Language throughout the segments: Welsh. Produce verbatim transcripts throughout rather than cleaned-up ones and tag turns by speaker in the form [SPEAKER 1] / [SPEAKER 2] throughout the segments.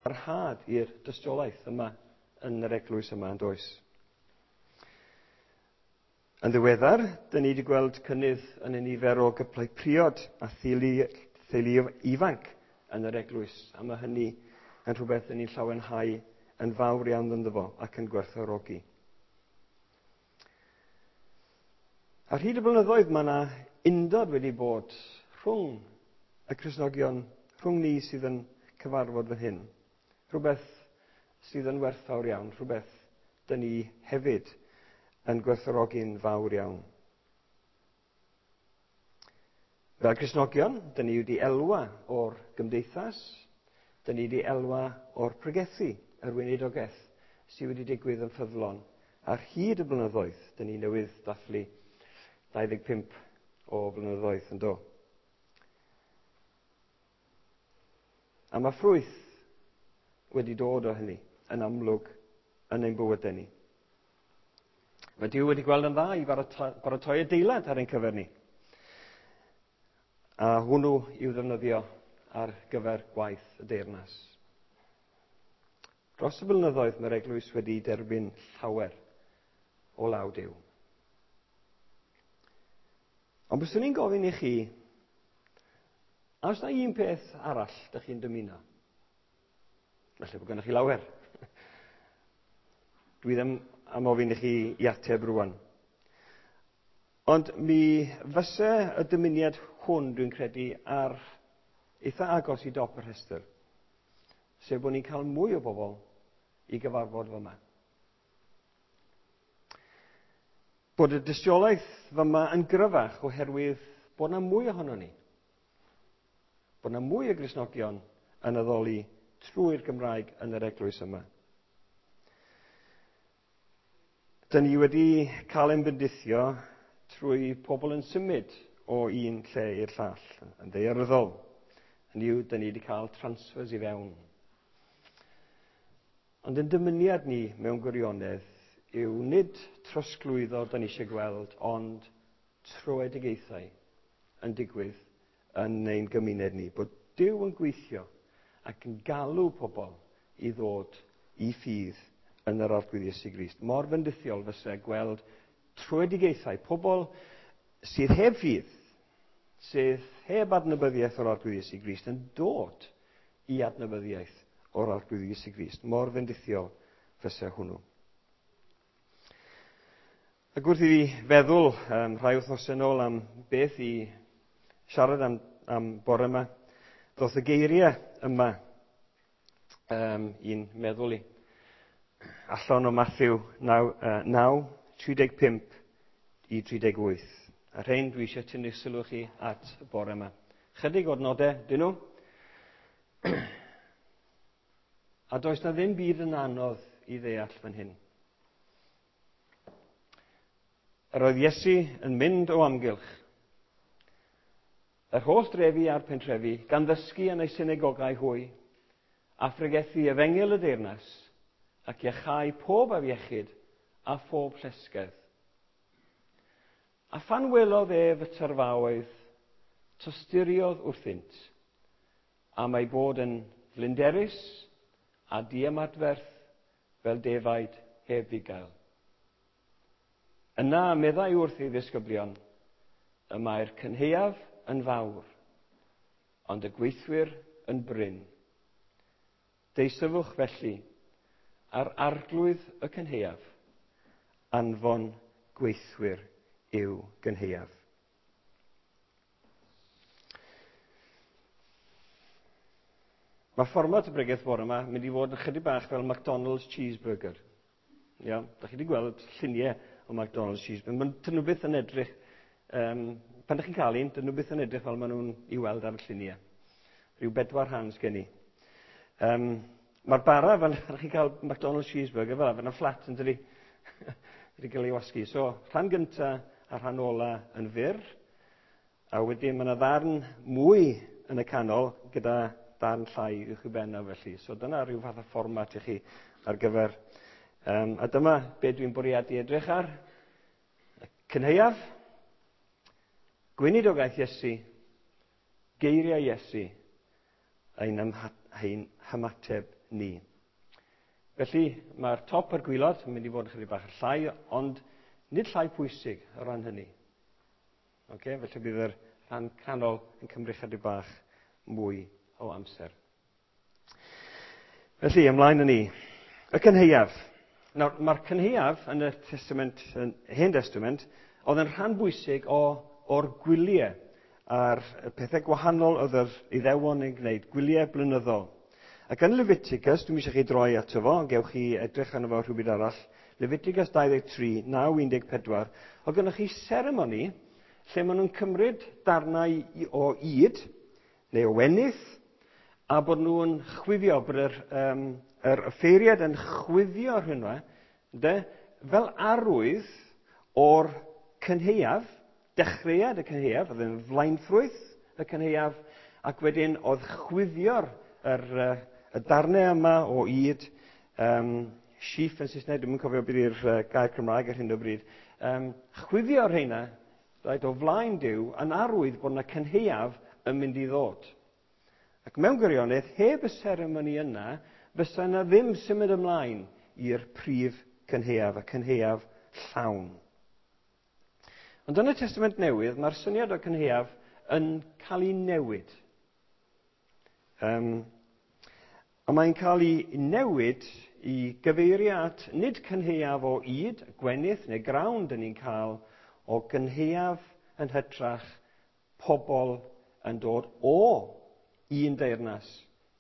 [SPEAKER 1] Parhad i'r dystiolaeth yma yn yr eglwys yma, yn does? Yn ddiweddar, dyn ni wedi gweld cynnydd yn y nifer o gyplau priod a theulu, theulu ifanc yn yr eglwys, a mae hynny yn rhywbeth dyn ni'n llawenhau yn fawr iawn ynddo fo ac yn gwerthfawrogi. Ar hyd y blynyddoedd mae yna undod wedi bod rhwng y Cristnogion, rhwng ni sydd yn cyfarfod fan hyn. Rhywbeth sydd yn werthfawr iawn, rhywbeth dyn ni hefyd yn gwerthfawrogi'n fawr iawn. Fel Cristnogion, dyn ni wedi elwa o'r gymdeithas, dyn ni wedi elwa o'r pregethu, yr weinidogaeth sydd wedi digwydd yn ffyddlon. Ar hyd y blynyddoedd, dyn ni newydd dathlu dau ddeg pump o flynyddoedd yn do. A mae ffrwyth wedi dod o hynny yn amlwg yn ein bywydau ni. Mae Duw wedi gweld yn dda i baratoi adeilad ar ein cyfer ni. A hwnnw i'w ddefnyddio ar gyfer gwaith y deyrnas. Dros y blynyddoedd mae'r eglwys wedi derbyn llawer o law Duw. Ond byswn i'n gofyn i chi, a oes na un peth arall dych chi'n dymuno? Felly bod gennych chi lawer. Dwi ddim am ofyn i chi i ateb rwan. Ond mi fyse y dymuniad hwn, dwi'n credu, ar eitha agos i dop y rhestr. Sef bod ni'n cael mwy o bobl i gyfarfod fyma. Bod y dystiolaeth fyma yn gryfach oherwydd bod yna mwy ohono ni. Bod yna mwy o Gristnogion yn addoli trwy'r Gymraeg yn yr eglwys yma. Dyn ni wedi cael ein bendithio trwy pobl yn symud o un lle i'r llall, yn ddaearyddol. Hynny yw, dyn ni wedi cael transfers i fewn. Ond yn dymuniad ni mewn gwirionedd yw nid trosglwyddo dyn ni eisiau gweld, ond troedigaethau yn digwydd yn ein gymuned ni. Bod Duw yn gweithio ac yn galw pobl i ddod i ffydd yn yr Arglwydd Iesu Grist. Mor fendithiol fysa gweld troedigaethau, pobl sydd heb ffydd, sydd heb adnabyddiaeth o'r Arglwydd Iesu Grist, yn dod i adnabyddiaeth o'r Arglwydd Iesu Grist. Mor fendithiol fysa hwnnw. Ac wrth i fi feddwl um, rhai wythnosau nôl am beth i siarad am, am bore yma, ddoth y geiriau yma um, i'n meddwl i. Allan o Matthew naw, tri deg pump i tri deg wyth. A rhain dwi eisiau tynnu sylw chi at y bore yma. Chydig o'r nodau, dyn nhw. A does na ddim byd yn anodd i ddeall fan hyn. Yr oedd Iesu yn mynd o amgylch yr holl drefi a'r pentrefi, gan ddysgu yn eu synagogau hwy, a phregethu efengyl y deyrnas, ac iachau pob afiechyd a phob llesgedd. A phan welodd ef y tyrfaoedd, tosturiodd wrthynt, am ei bod yn flinderus a diymadferth fel defaid heb fugail. Yna meddai wrth ei ddisgyblion, y mae'r cynhaeaf yn fawr, ond y gweithwyr yn brin. Deisyfwch felly ar arglwydd y cynhaeaf, anfon gweithwyr i'w gynhaeaf. Mae fformat y bregeth bore yma mynd i fod yn chydig bach fel McDonald's cheeseburger. Ia, da chi wedi gweld lluniau o McDonald's cheeseburger. Dyn nhw byth yn edrych, um, pan ydych chi'n cael un, dyn nhw byth yn edrych fel maen nhw'n i weld ar y lluniau. Rhyw bedwar rhan sgen i. Um, Mae'r bara, pan ydych chi'n cael McDonald's cheeseburger fel yna, fflat yn dydi, wedi cael ei wasgu. So, rhan gynta a rhan ola yn fyr, a wedyn mae yna ddarn mwy yn y canol gyda darn llai uwch i ben a felly. So dyna rhyw fath o fformat i chi ar gyfer. Um, a dyma be dwi'n bwriadu edrych ar. Cynhaeaf, gweinidogaeth Iesu, geiriau Iesu, ein, ein hymateb ni. Felly, mae'r top a'r gwylod yn mynd i fod yn chydig bach llai, ond nid llai pwysig o ran hynny. Okay? Felly bydd yr rhan canol yn cymryd chydig bach mwy o amser. Felly, ymlaen â ni. Y cynhaeaf. Nawr, mae'r cynhaeaf yn y Testament, yn Hen Testament, oedd yn rhan bwysig o, o'r gwyliau a'r pethau gwahanol oedd yr Iddewon yn gwneud, gwyliau blynyddol. Ac yn Leviticus, dwi'n eisiau chi droi ato fo, gewch chi edrych arno fo rhywbryd arall, Leviticus dau ddeg tri, naw un deg pedwar, oedd gennych chi seremoni lle maen nhw'n cymryd darnau o ŷd, neu o wenith, a bod nhw'n chwifio, bod yr, um, yr offeiriad yn chwifio rhywun, de, fel arwydd o'r cynhaeaf, dechreuad y cynhaeaf, oedd yn flaenffrwyth y cynhaeaf, ac wedyn oedd chwifio'r yr, y darnau yma o ŷd, um, sheaf yn Saesneg, dwi'm yn cofio beth yw'r uh, gair Cymraeg ar hyn o bryd, um, chwifio'r rheina, right, o flaen Duw, yn arwydd bod yna cynhaeaf yn mynd i ddod. Ac mewn gwirionedd, heb y seremoni yna, fysa yna ddim symud ymlaen i'r prif cynhaeaf, y cynhaeaf llawn. Ond yn y Testament Newydd, mae'r syniad o cynhaeaf yn cael ei newid. Um, a mae'n cael ei newid i gyfeirio at nid cynhaeaf o ŷd, gwenith neu grawn dyn ni'n cael, o gynhaeaf yn hytrach pobl yn dod o un deyrnas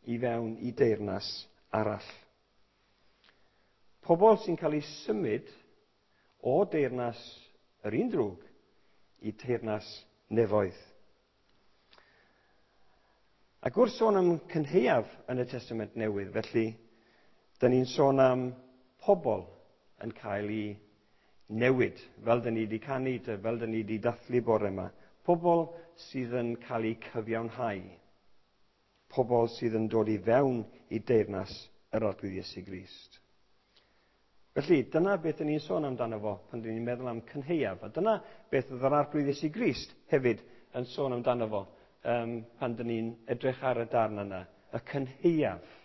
[SPEAKER 1] i fewn i deyrnas arall. Pobl sy'n cael eu symud o deyrnas yr un drwg i teyrnas nefoedd. Ac wrth sôn am cynhaeaf yn y Testament Newydd, felly, dyn ni'n sôn am pobl yn cael eu newid, fel dyn ni wedi canu, fel dyn ni wedi dathlu bore yma. Pobl sydd yn cael eu cyfiawnhau. Pobl sydd yn dod i fewn i deyrnas yr Arglwydd Iesu Grist. Felly, dyna beth dyn ni'n sôn amdano fo pan dyn ni'n meddwl am cynhaeaf. A dyna beth oedd yr Arglwydd Iesu Grist hefyd yn sôn amdano fo um, pan dyn ni'n edrych ar y darn yna. Y cynhaeaf.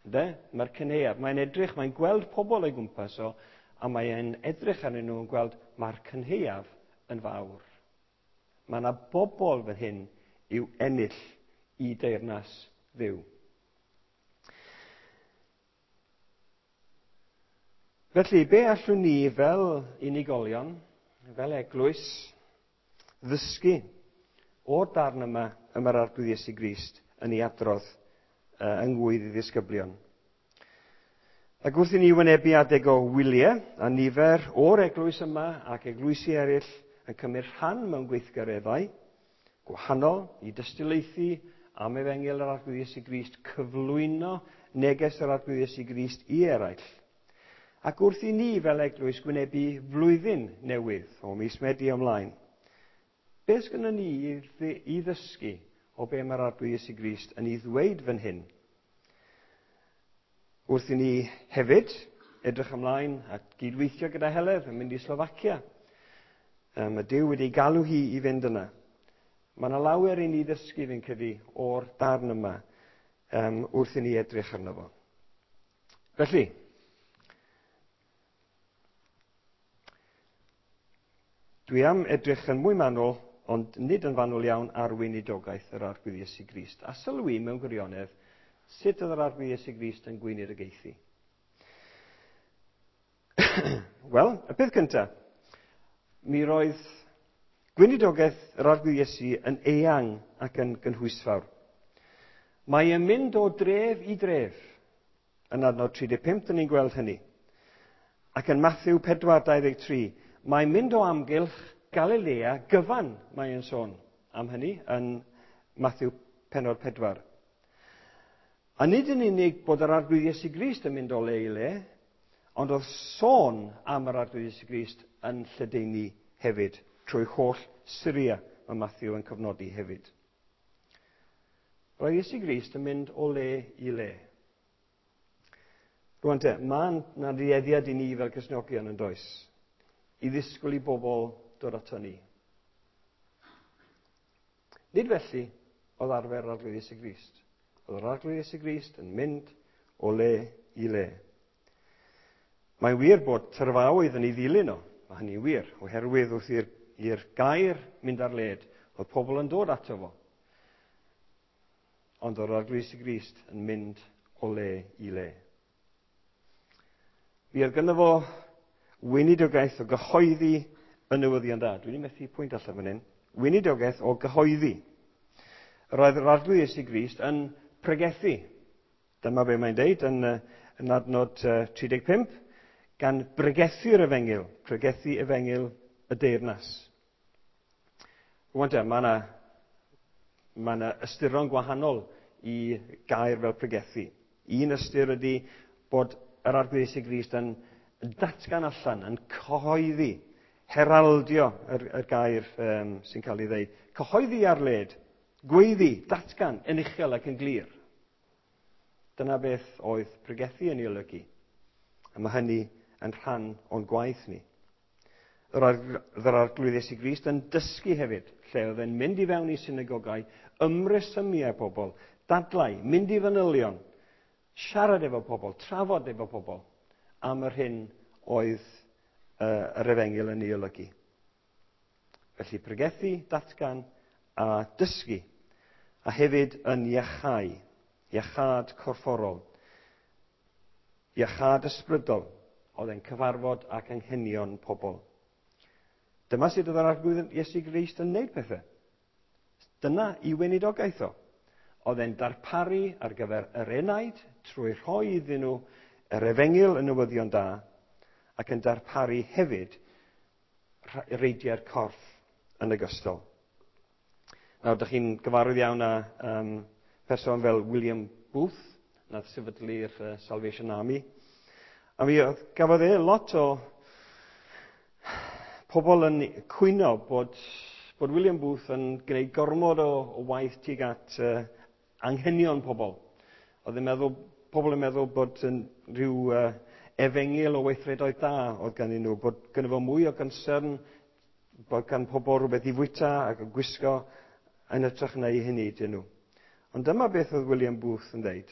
[SPEAKER 1] Ynde? Mae'r cynhaeaf. Mae'n edrych, mae'n gweld pobl o'i gwmpas o, a mae'n edrych arnyn nhw yn gweld mae'r cynhaeaf yn fawr. Mae yna bobl fan hyn i'w ennill i deyrnas Dduw. Felly, be allwn ni fel unigolion, fel eglwys, ddysgu o'r darn yma y mae'r Arglwydd Iesu Grist yn ei adrodd uh, yng ngwydd i ddisgyblion? Ac wrth i ni wynebu adeg o wyliau, a nifer o'r eglwys yma ac eglwysi eraill yn cymryd rhan mewn gweithgareddau gwahanol i dystiolaethu am efengyl yr Arglwydd Iesu Grist, cyflwyno neges yr Arglwydd Iesu Grist i eraill. Ac wrth i ni fel eglwys gwynebu flwyddyn newydd o mis Medi ymlaen, beth sgynnon ni i ddysgu o be mae'r Arglwydd Iesu Grist yn ei ddweud fan hyn? Wrth i ni hefyd edrych ymlaen at gydweithio gyda Heledd yn mynd i Slofacia. Mae Duw wedi galw hi i fynd yna. Mae yna lawer i ni ddysgu fi'n credu o'r darn yma um, wrth i ni edrych arno fo. Felly, dwi am edrych yn mwy manwl, ond nid yn fanwl iawn, ar weinidogaeth yr Arglwydd Iesu Grist. A sylwi mewn gwirionedd sut oedd yr Arglwydd Iesu Grist yn gweinidogaethu. Wel, y peth cyntaf, mi roedd gweinidogaeth yr Arglwydd Iesu yn eang ac yn gynhwysfawr. Mae e'n mynd o dref i dref. Yn adnod tri deg pump, dyn ni'n gweld hynny. Ac yn Matthew pedwar dau ddeg tri, mae'n mynd o amgylch Galilea gyfan, mae e'n sôn am hynny yn Matthew pennod pedwar. A nid yn unig bod yr Arglwydd Iesu Grist yn mynd o le i le, ond oedd sôn am yr Arglwydd Iesu Grist yn lledaenu hefyd, trwy holl Syria, mae Matthew yn cofnodi hefyd. Roedd Iesu Grist yn mynd o le i le. Rwan te, mae yna dueddiad i ni fel Cristnogion yn does, i ddisgwyl i bobl dod ato ni. Nid felly oedd arfer yr Arglwydd Iesu Grist. Oedd yr Arglwydd Iesu Grist yn mynd o le i le. Mae'n wir bod tyrfaoedd yn ei ddilyn o. Mae hynny'n wir, oherwydd wrth i'r, i'r gair mynd ar led, oedd pobl yn dod ato fo. Ond oedd Arglwydd Iesu Grist yn mynd o le i le. Mi oedd gynno fo weinidogaeth o gyhoeddi y newyddion da. Dwi'n methu pwynt allan fan hyn. Weinidogaeth o gyhoeddi. Roedd yr Arglwydd Iesu Grist yn pregethu. Dyma be mae'n deud yn, yn adnod tri deg pump, gan bregethu'r efengyl, pregethu efengyl y deyrnas. Rwan te, mae yna mae yna ystyron gwahanol i gair fel pregethu. Un ystyr ydy bod yr Arglwydd Iesu Grist yn datgan allan, yn cyhoeddi, heraldio yr, yr gair um, sy'n cael ei ddeud. Cyhoeddi ar led, gweiddi, datgan yn uchel ac yn glir. Dyna beth oedd pregethu yn ei olygu. A mae hynny yn rhan o'n gwaith ni. Yr Arglwydd Iesu Grist yn dysgu hefyd, lle oedd e'n mynd i fewn i synagogau, ymresymu â pobl, dadlau, mynd i fanylion, siarad efo pobl, trafod efo pobl, am yr hyn oedd uh, yr efengyl yn ei olygu. Felly pregethu, datgan a dysgu, a hefyd yn iachau, iachâd corfforol, iachâd ysbrydol, oedd e'n cyfarfod ac anghenion pobl. Dyma sut oedd yr Arglwydd Iesu Grist yn wneud pethau. Dyna i weinidogaeth o. Oedd e'n darparu ar gyfer yr enaid trwy rhoi iddyn nhw yr efengyl y newyddion da, ac yn darparu hefyd reidiau'r corff yn ogystal. Nawr, dych chi'n gyfarwydd iawn â um, person fel William Booth, nath sefydlu'r uh, Salvation Army. A mi oedd, gafodd e lot o pobl yn cwyno bod, bod William Booth yn gwneud gormod o, o waith tuag at uh, anghenion pobl. Oedd yn meddwl, pobl yn meddwl bod yn rhyw uh, efengyl o weithredoedd da oedd ganddyn nhw, bod gynno fo mwy o concern, bod gan pobl rhywbeth i fwyta ac yn gwisgo yn hytrach na i hynny dyn nhw. Ond dyma beth oedd William Booth yn dweud.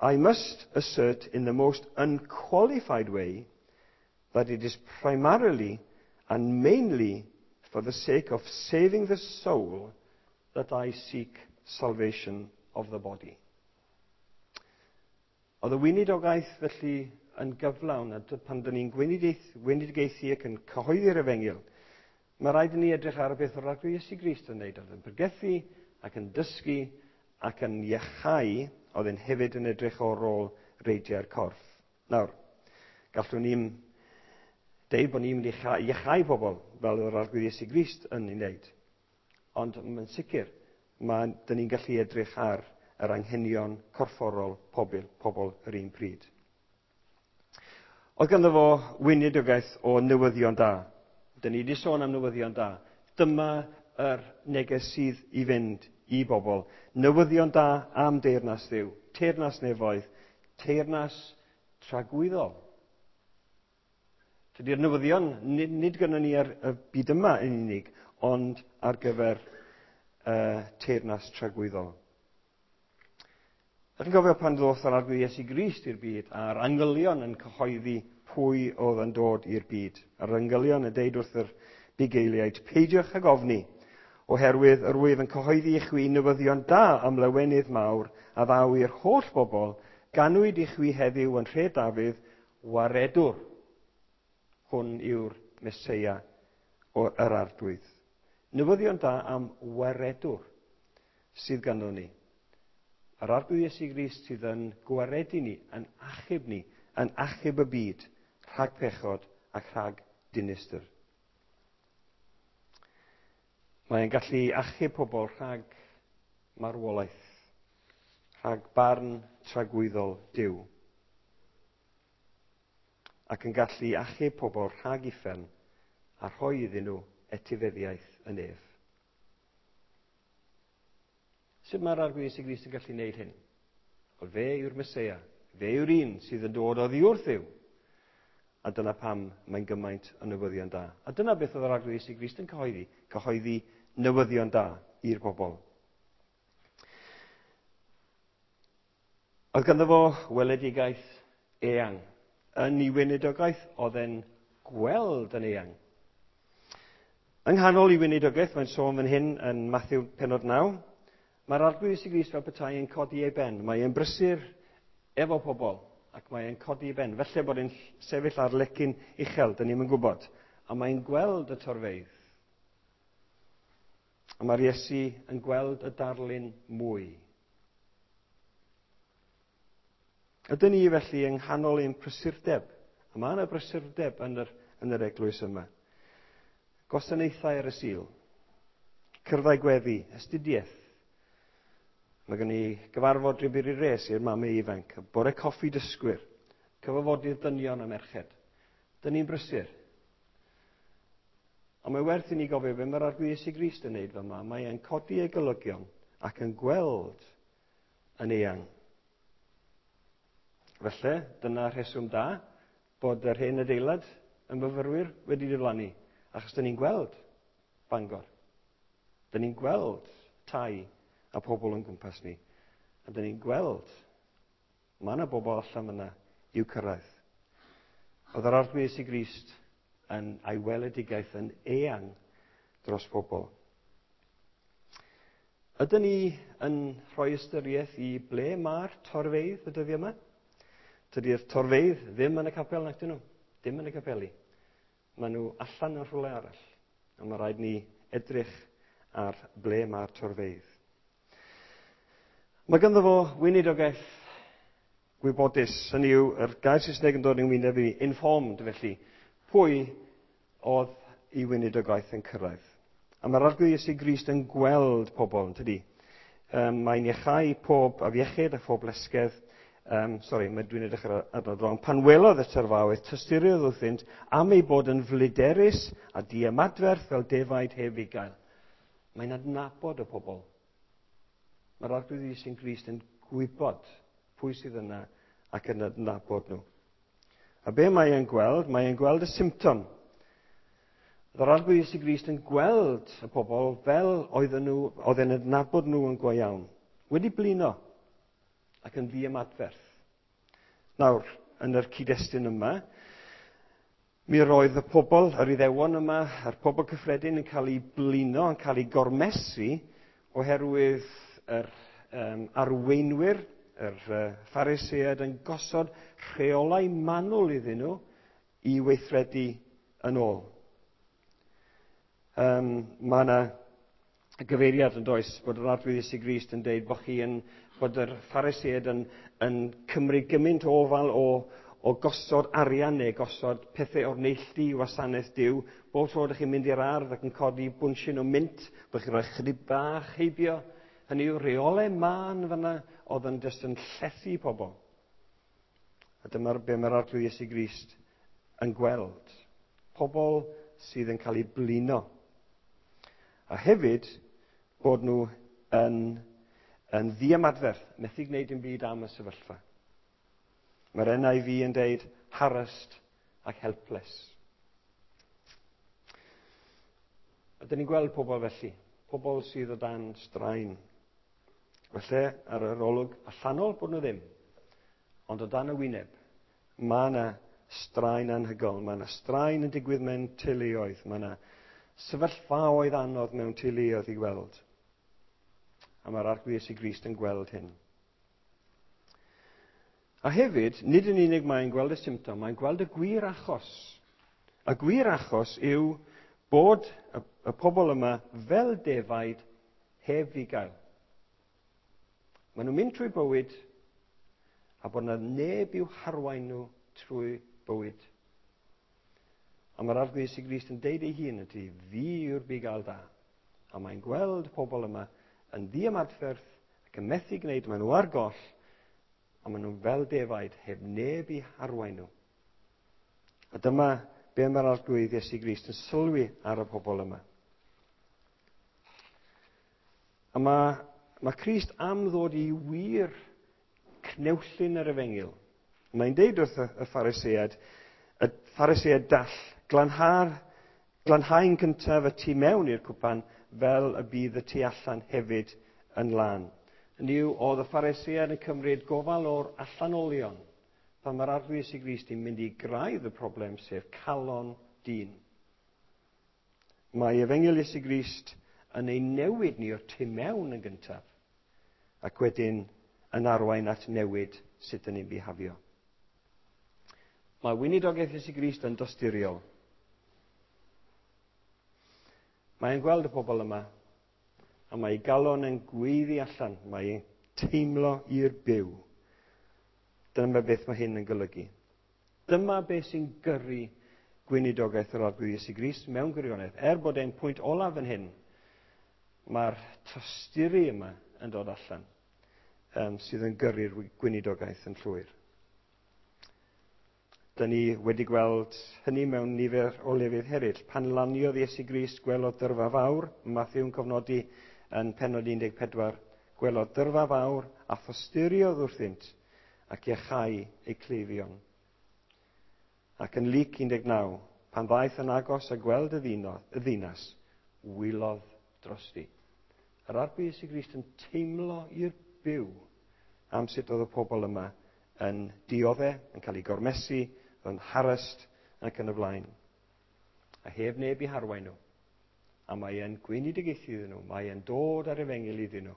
[SPEAKER 1] I must assert in the most unqualified way that it is primarily and mainly for the sake of saving the soul that I seek salvation of the body. Oedd y weinidogaeth felly yn gyflawn, a pan dyn ni'n gweinidogaethu ac yn cyhoeddi'r efengyl, mae rhaid i ni edrych ar y beth o'r Arglwydd Iesu Grist yn wneud. Oedd yn pregethu ac yn dysgu ac yn iachau, oedd yn hefyd yn edrych o'r ôl reidiau'r corff. Nawr, gallwn ni'n deud bod ni'n mynd i iachau pobl fel yr Arglwydd Iesu Grist yn ei wneud. Ond yn sicr, mae, dyn ni'n gallu edrych ar yr anghenion corfforol pobl, pobl yr un pryd. Oedd ganddo fo weinidogaeth o newyddion da. Dyn ni wedi sôn am newyddion da. Dyma yr neges sydd i fynd i bobl. Newyddion da am deyrnas Dduw, teyrnas nefoedd, teyrnas tragwyddol. Dydy'r newyddion nid, nid gynnon ni ar y byd yma yn unig, ond ar gyfer uh, teyrnas tragwyddol. Ydych chi'n cofio pan ddoth yr Arglwydd Iesu Grist i'r byd, a'r angylion yn cyhoeddi pwy oedd yn dod i'r byd. A'r angylion yn deud wrth yr bugeiliaid, peidiwch ag ofni, oherwydd yr wyf yn cyhoeddi i chwi newyddion da am lawenydd mawr a ddaw i'r holl bobl, ganwyd i chwi heddiw yn nhre Dafydd, waredwr. Hwn yw'r Meseia o'r Arglwydd. Newyddion da am waredwr sydd ganddo ni. Yr Arglwydd Iesu Grist sydd yn gwaredu ni, yn achub ni, yn achub y byd rhag pechod ac rhag dinistr. Mae'n gallu achub pobl rhag marwolaeth, rhag barn tragwyddol Duw, ac yn gallu achub pobl rhag uffern a rhoi iddyn nhw etifeddiaeth yn ef. Sut mae'r Arglwydd Iesu Grist yn gallu gwneud hyn? Wel, fe yw'r Meseia, fe yw'r un sydd yn dod oddi wrth Dduw. A dyna pam mae'n gymaint o newyddion da. A dyna beth oedd yr Arglwydd Iesu Grist yn cyhoeddi, cyhoeddi newyddion da i'r bobl. Oedd ganddo fo weledigaeth eang. Yn ei weinidogaeth, oedd e'n gweld yn eang. Yng nghanol ei weinidogaeth, mae'n sôn fan hyn yn Mathew pennod naw, mae'r Arglwydd Iesu Grist fel petai yn codi ei ben. Mae e'n brysur efo pobl ac mae e'n codi ei ben. Felly bod e'n sefyll ar lecyn uchel, dyn ni'm yn gwybod. A mae'n gweld y torfeydd. A mae'r Iesu yn gweld y darlun mwy. Ydyn ni felly yng nghanol ein prysurdeb? A mae yna brysurdeb yn yr, yn yr eglwys yma. Gwasanaethau ar y Sul, cyrddau gweddi, astudiaeth. Mae gen i gyfarfod Ribiri Res i'r mamau ifanc, bore coffi dysgwyr, cyfarfodydd dynion a merched. Dyn ni'n brysur. Ond mae werth i ni gofio be mae'r Arglwydd Iesu Grist yn neud fyma. Mae e'n codi ei golygion ac yn gweld yn eang. Felly, dyna rheswm da bod yr hen adeilad yn myfyrwyr wedi diflannu, achos dyn ni'n gweld Bangor. Dyn ni'n gweld tai a pobl yn gwmpas ni. A dyn ni'n gweld mae yna bobl allan yna i'w cyrraedd. Oedd yr Arglwydd Iesu Grist yn a'i weledigaeth yn eang dros bobl. Ydyn ni yn rhoi ystyriaeth i ble mae'r torfeydd y dyddiau yma? Tydi'r torfeydd ddim yn y capel nac dyn nhw. Dim yn y capeli. Maen nhw allan yn rhywle arall. A mae rhaid ni edrych ar ble mae'r torfeydd. Mae ganddo fo weinidogaeth gwybodus. Hynny yw, yr gair Saesneg yn dod i'n wyneb i, informed felly. Pwy oedd ei weinidogaeth yn cyrraedd? A mae'r Arglwydd Iesu Grist yn gweld pobl, yn tydi? Um, mae'n iachau pob afiechyd a phob lesgedd. Um, sorry, mae dwi'n edrych ar adnod wrong. Pan welodd y tyrfaoedd, tysturiodd wrthynt am ei bod yn fliderus a diymadferth fel defaid heb fugail. Mae'n adnabod y pobl. Mae'r Arglwydd Iesu Grist yn gwybod pwy sydd yna ac yn adnabod nhw. A be mae e'n gweld? Mae e'n gweld y symptom. Yr Arglwydd Iesu Grist yn gweld y pobl fel oedden nhw, oedd e'n adnabod nhw yn go iawn. Wedi blino ac yn ddiymadferth. Nawr, yn yr cyd-destun yma, mi roedd y pobl, yr Iddewon yma, a'r pobl cyffredin yn cael eu blino, yn cael eu gormesu oherwydd yr um, arweinwyr, yr uh, Phariseaid yn gosod rheolau manwl iddyn nhw i weithredu yn ôl. Um, mae yna gyfeiriad yn does bod yr Arglwydd Iesu Grist yn deud bod chi yn, bod yr Phariseaid yn, yn cymryd gymaint o ofal o, o gosod arian neu gosod pethau o'r neilltu i wasanaeth Duw. Bob tro ydych chi'n mynd i'r ardd ac yn codi bwnsyn o mint, bod chi'n rhoi chydig bach heibio. Hynny yw rheolau mân fyna oedd yn jyst yn llethu pobl. A dyma'r be mae'r Arglwydd Iesu Grist yn gweld. Pobl sydd yn cael eu blino. A hefyd bod nhw yn, yn ddiymadferth, methu gwneud dim byd am y sefyllfa. Mae'r N I V yn deud harassed ac helpless. A dyn ni'n gweld pobl felly, pobl sydd o dan straen. Felly, ar yr olwg allanol bod nhw ddim, ond o dan y wyneb, mae yna straen anhygoel, mae yna straen yn digwydd mewn teuluoedd, mae yna sefyllfaoedd anodd mewn teuluoedd i weld. A mae'r Arglwydd Iesu Grist yn gweld hyn. A hefyd, nid yn unig mae'n gweld y symptom, mae'n gweld y gwir achos. Y gwir achos yw bod y, y pobl yma fel defaid heb fugail. Maen nhw'n mynd trwy bywyd a bod yna neb i'w harwain nhw trwy bywyd. A mae'r Arglwydd Iesu Grist yn deud ei hun ydy, fi yw'r bugail da. A mae'n gweld pobl yma yn ddiymadferth ac yn methu gwneud, maen nhw ar goll, a maen nhw fel defaid heb neb i harwain nhw. A dyma be mae'r Arglwydd Iesu Grist yn sylwi ar y pobl yma. A mae, mae Crist am ddod i wir cnewllun yr efengyl. Mae'n deud wrth y, y Phariseaid, y Phariseaid dall, glanha'r, glanhau'n cyntaf y tu mewn i'r cwpan fel y bydd y tu allan hefyd yn lân. Hynny yw, oedd y Phariseaid yn cymryd gofal o'r allanolion pan mae'r Arglwydd Iesu Grist yn mynd i graidd y broblem, sef calon dyn. Mae Efengyl Iesu Grist yn ei newid ni o'r tu mewn yn gyntaf, ac wedyn yn arwain at newid sut ydyn ni'n bihafio. Mae weinidogaeth Iesu Grist yn dosturiol. Mae'n gweld y pobl yma, a mae ei galon yn gweiddi allan, mae'n teimlo i'r byw. Dyma beth mae hyn yn golygu. Dyma beth sy'n gyrru gweinidogaeth yr Arglwydd Iesu Grist mewn gwirionedd. Er bod e'n pwynt olaf yn hyn, mae'r tosturi yma yn dod allan, um, sydd yn gyrru'r gweinidogaeth yn llwyr. Dyna ni wedi gweld hynny mewn nifer o lefydd eraill. Pan laniodd Iesu Grist, gwelodd dyrfa fawr, Matthew'n cofnodi yn pennod un deg pedwar, gwelodd dyrfa fawr a thosturiodd wrthynt ac iachau eu cleifion. Ac yn Luc un deg naw, pan ddaeth yn agos a gweld y ddinas, wylodd drosti. Yr Arglwydd Iesu Grist yn teimlo i'r byw am sut oedd y pobl yma yn diodde, yn cael eu gormesu, yn harassed ac yn y blaen. A heb neb i harwain nhw. A mae e'n gweinidogaethu iddyn nhw. Mae e'n dod ar efengyl iddyn nhw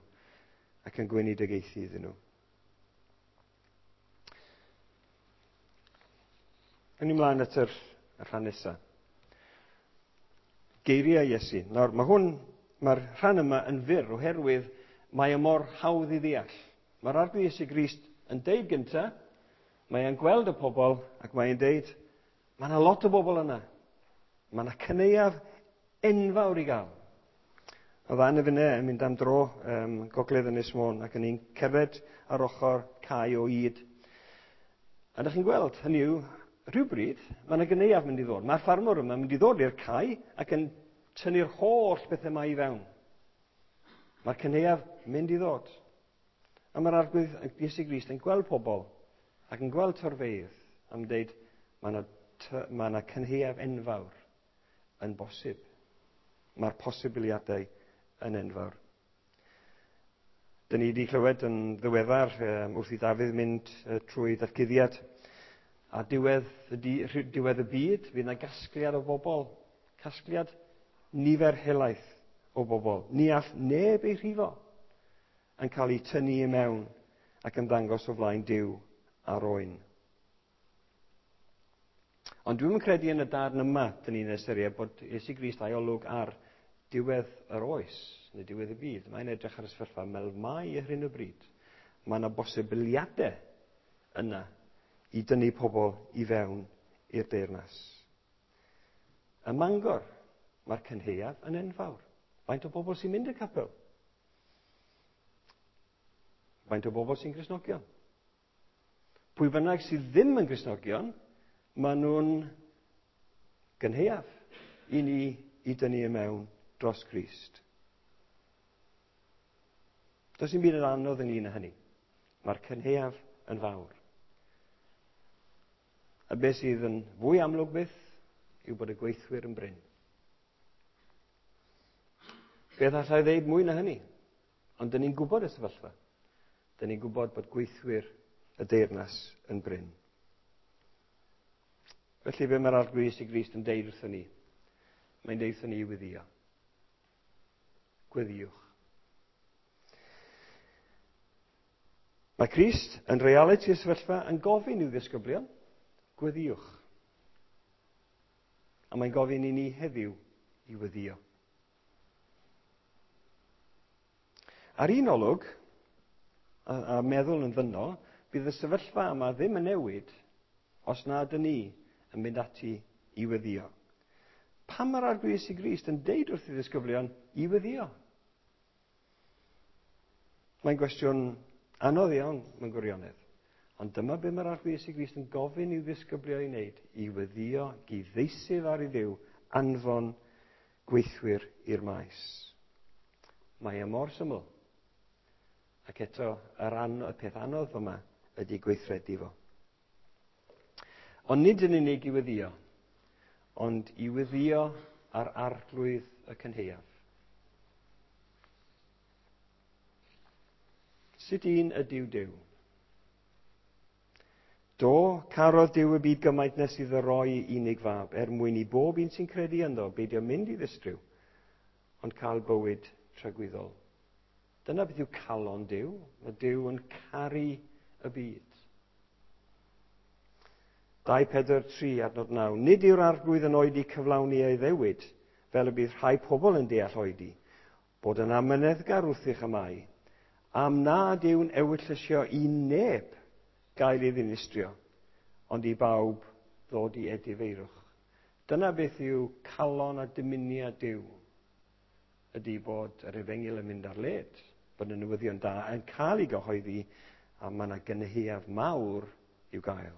[SPEAKER 1] ac yn gweinidogaethu iddyn nhw. Yn ymlaen at yr, y rhan nesaf. Geiriau Iesu. Nawr, mae hwn, mae'r rhan yma yn fyr oherwydd mae e mor hawdd i ddeall. Mae'r Arglwydd Iesu Grist yn deud gyntaf, mae e'n gweld y pobl ac mae e'n deud, mae yna lot o bobl yna. Mae yna cyneuaf enfawr i gael. Oedd Anna finne yn mynd am dro um, gogledd Ynys Môn ac yn ni'n cerdded ar ochr cae o ŷd. A ydych chi'n gweld, hynny yw, rhywbryd, mae yna gyneuaf mynd i ddod. Mae'r ffarmwr yma mynd i ddod i'r cae ac yn tynnu'r holl bethau yma i fewn. Mae'r cyneuaf mynd i ddod. A mae'r Arglwydd Iesu Grist yn gweld pobl ac yn gweld torfeydd am dweud mae yna, mae yna cynhaeaf enfawr yn bosib. Mae'r posibiliadau yn enfawr. Dyn ni wedi clywed yn ddiweddar um, wrth i Dafydd mynd uh, trwy ddatguddiad a diwedd y, di, diwedd y byd, fydd yna gasgliad o bobl, casgliad nifer helaeth o bobl. Ni all neb ei rhifo yn cael ei tynnu i mewn ac yn ddangos o flaen Duw a'r oen. Ond dwi'm yn credu yn y darn yma, dyn ni'n ystyried bod Iesu Grist a'i olwg ar diwedd yr oes, neu diwedd y byd. Mae'n edrych ar y sefyllfa fel mae ar hyn o bryd. Mae yna bosibiliadau yna i dynnu pobl i fewn i'r deyrnas. Ym Mangor, mae'r cynhaeaf yn enfawr. Faint o bobl sy'n mynd i'r capel? Faint o bobl sy'n Gristnogion? Pwy bynnag sydd ddim yn Gristnogion, maen nhw'n gynhaeaf i ni i dynnu i mewn dros Grist. Does dim byd yn anodd ynglyn â hynny. Mae'r cynhaeaf yn fawr. A beth sydd yn fwy amlwg byth yw bod y gweithwyr yn brin. Beth allai ddeud mwy na hynny? Ond dyn ni'n gwybod y sefyllfa. Dyn ni'n gwybod bod gweithwyr y deyrnas yn brin. Felly be mae'r Arglwydd Iesu Grist yn deud wrthon ni? Mae'n deud wrthon ni i weddïo. Gweddïwch. Mae Crist yn realiti y sefyllfa yn gofyn i'w ddisgyblion, gweddïwch. A mae'n gofyn i ni heddiw i weddïo. Ar un olwg, a, a meddwl yn ddynol, bydd y sefyllfa yma ddim yn newid os na ydyn ni yn mynd ati i weddïo. Pam mae'r Arglwydd Iesu Grist yn deud wrth ei ddisgyblion i weddïo? Mae'n gwestiwn anodd iawn mewn gwirionedd. Ond dyma be mae'r Arglwydd Iesu Grist yn gofyn i'w ddisgyblion i wneud, i weddïo, i ddeisyf ar i Dduw, anfon gweithwyr i'r maes. Mae e mor syml. Ac eto, yr an, y peth anodd yma ydy gweithredu fo. Ond nid yn unig i weddïo, ond i weddïo ar Arglwydd y cynhaeaf. Sut un ydyw Duw? Do, carodd Duw y byd gymaint nes iddo roi unig fab, er mwyn i bob un sy'n credu ynddo beidio mynd i ddistryw, ond cael bywyd tragwyddol. Dyna beth yw calon Duw. Mae Duw yn caru y byd. dau pedwar tri adnod naw. Nid yw'r Arglwydd yn oedi cyflawni ei ddewid, fel y bydd rhai pobl yn deall oedi, bod yn amyneddgar wrthych y mae, am nad yw'n ewyllysio i neb gael ei ddinistrio, ond i bawb ddod i edifeirwch. Dyna beth yw calon a dymuniad Duw, ydy bod yr efengyl yn mynd ar led, bod y newyddion da yn cael ei gyhoeddi, a mae yna gynhaeaf mawr i'w gael.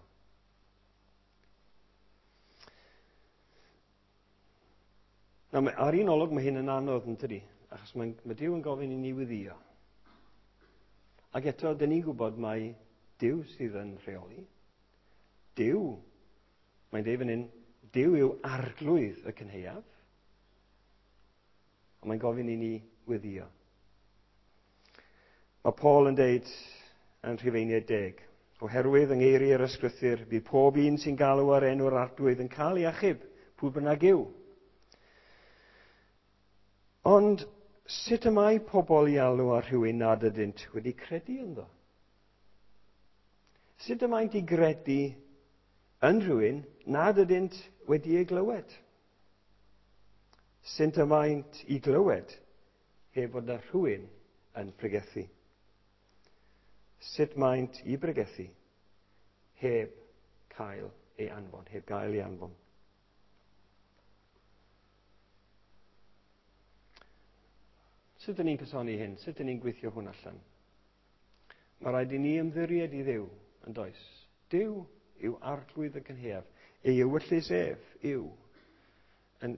[SPEAKER 1] Nawr, ar un olwg mae hyn yn anodd, yn tydi? Achos mae, mae Duw yn gofyn i ni weddïo. Ac eto, dyn ni'n gwybod mai Duw sydd yn rheoli. Duw, mae'n deud fan hyn, Duw yw arglwydd y cynhaeaf. A mae'n gofyn i ni weddïo. Mae Paul yn deud yn Rhufeiniaid deg, oherwydd yng ngeiriau yr ysgrythur, bydd pob un sy'n galw ar enw'r arglwydd yn cael ei achub, pwy bynnag yw. Ond sut y mae pobl i alw ar rhywun nad ydynt wedi credu ynddo? Sut y maent i gredu yn rhywun nad ydynt wedi ei glywed? Sut y maent i glywed heb fod na rhywun yn pregethu? Sut maent i bregethu heb cael ei anfon, heb gael ei anfon? Sut ydyn ni'n cysoni hyn? Sut ydyn ni'n gweithio hwn allan? Mae rhaid i ni ymddiried i Dduw, yn does? Duw yw arglwydd y cynhaeaf. Ei ewyllys ef yw. Yn,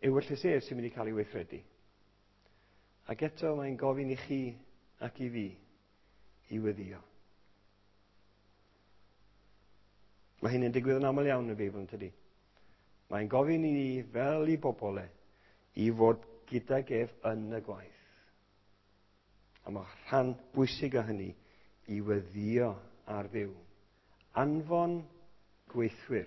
[SPEAKER 1] ewyllys ef sy'n mynd i cael ei weithredu. Ac eto mae'n gofyn i chi ac i fi i weddïo. Mae hyn yn digwydd yn aml iawn yn y Beibl, yn tydi? Mae'n gofyn i ni, fel i bobl e, i fod gydag ef yn y gwaith. A mae rhan bwysig o hynny i weddïo ar Dduw. Anfon gweithwyr.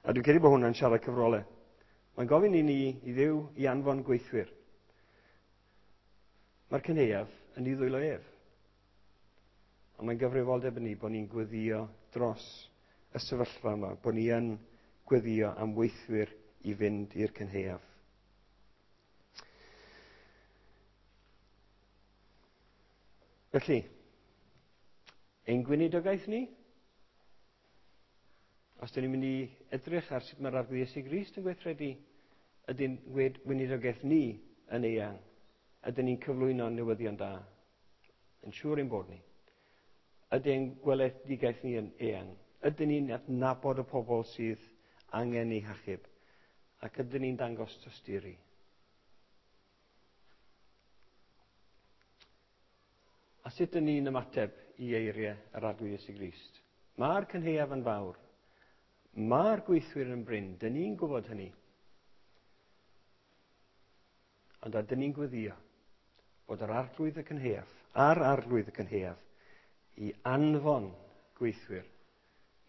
[SPEAKER 1] A dwi'n credu bod hwnna'n siarad cyfrolau. Mae'n gofyn i ni, i Dduw, i anfon gweithwyr. Mae'r cynhaeaf yn ei ddwylo ef. Ond mae'n gyfrifoldeb yn ni bod ni'n gweddïo dros y sefyllfa yma, bod ni yn gweddïo am weithwyr i fynd i'r cynhaeaf. Felly, ein gweinidogaeth ni, os dyn ni'n mynd i edrych ar sut mae'r Arglwydd Iesu Grist yn gweithredu, ydy'n weinidogaeth ni yn eang, ydyn ni'n cyflwyno newyddion da, yn siŵr ein bod ni. Ydy'n gweledigaeth ni yn eang, ydyn ni'n adnabod y pobl sydd angen eu hachub, ac ydyn ni'n dangos tosturi. A sut ydyn ni'n ymateb i eiriau yr Arglwydd Iesu Grist? Mae'r cynhaeaf yn fawr. Mae'r gweithwyr yn brin. Dyn ni'n gwybod hynny. Ond ydyn ni'n gweddio bod yr Arglwydd y cynhaeaf, a'r Arglwydd y cynhaeaf, i anfon gweithwyr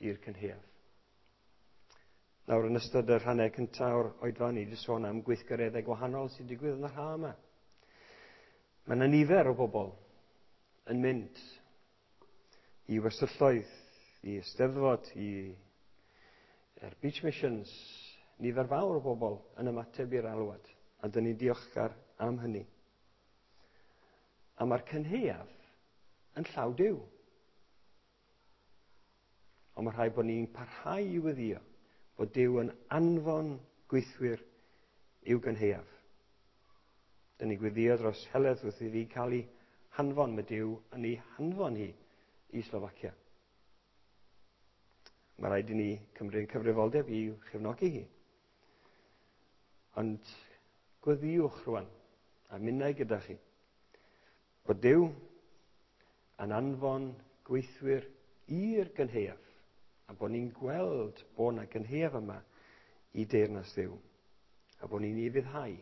[SPEAKER 1] i'r cynhaeaf. Nawr, yn ystod y rhannau cyntaf o'r oedfa, ni wedi sôn am gweithgareddau gwahanol sy'n digwydd yn yr ha yma. Mae yna nifer o bobl yn mynd i wersylloedd, i Eisteddfod, i er Beach Missions, nifer fawr o bobl yn ymateb i'r alwad, a dyn ni'n diolchgar am hynny. A mae'r cynhaeaf yn llaw Duw. Ond mae rhaid bod ni'n parhau i weddïo bod Duw yn anfon gweithwyr i'w gynhaeaf. Dyn ni'n gweddio dros Heledd wrth iddi cael ei hanfon. Mae Duw yn ei hanfon hi i Slofacia. Mae rhaid i ni cymryd cyfrifoldeb i'w chefnogi hi. Ond gweddiwch rwan, a minnau gyda chi, bod Duw yn anfon gweithwyr i'r gynhaeaf, a bod ni'n gweld bod yna gynhaeaf yma i deyrnas Dduw, a bod ni'n ufuddhau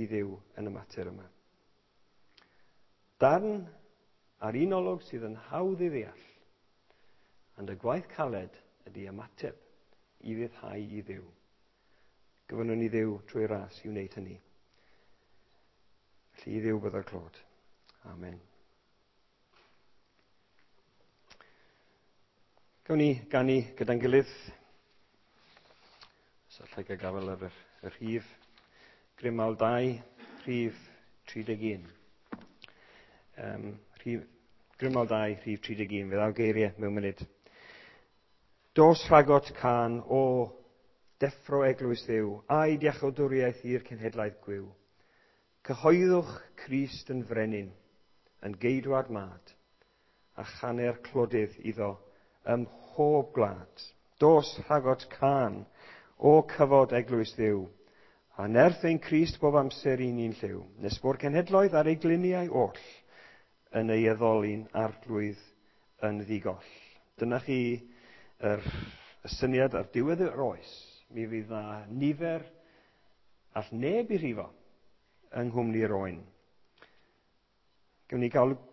[SPEAKER 1] i Dduw yn y mater yma. Darn ar un olwg sydd yn hawdd i ddeall, ond y gwaith caled ydy ymateb i ufuddhau i Dduw. Gofynnwn i Dduw trwy ras i wneud hynny. Felly i Dduw byddo'r clod. Amen. Gawn ni ganu gyda'n gilydd. Os allai gael gafael ar y, y rhif. Grymawl dau, rhif tri deg un. Um, rhif, Grymawl dau, rhif tri deg un. Fe ddaw geiriau mewn munud. Dos rhagot can o deffro eglwys Dduw, a'i diachawdwriaeth i'r cenhedlaeth gwiw. Cyhoeddwch Crist yn frenin, yn geidwad mad, a channer clodydd iddo ym mhob gwlad. Dos rhagot can o cyfod eglwys Dduw, a nerth ein Crist bob amser i ni'n lliw, nes bo'r cenhedloedd ar ei gliniau oll yn ei addoli'n arglwydd yn ddigoll. Dyna chi yr, y syniad ar diwedd yr oes. Mi fydd na nifer all neb i rhifo yng nghwmni'r oen. Gawn ni gael